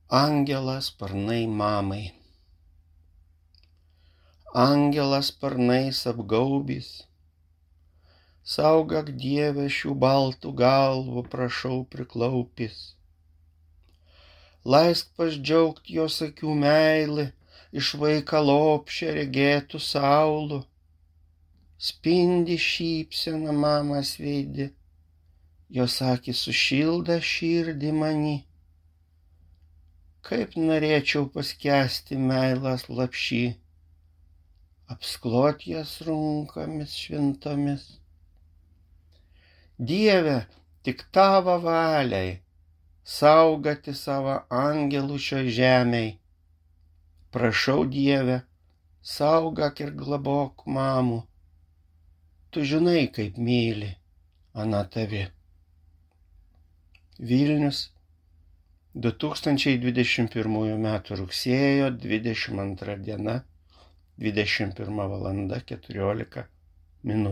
Angelas sparnai mamai. Angelas sparnais apgaubys, saugok Dieve šių baltų galvų, prašau priklaupys. Leisk pasidžiaugt jos akių meilį, iš vaiką lopšę regėtų saulų. Spindi šypsena mamas veidi, jos akys sušilda širdį mani. Kaip norėčiau paskęsti meilės lapšy, apsklot jas runkomis šventomis. Dieve, tik tavo valiai, saugoti savo angelų šioj žemėj. Prašau Dieve, saugok ir globok mamų. Tu žinai, kaip myli ana tavi. Vilnius, 2021 m. rugsėjo 22 diena, 21 val. 14 min.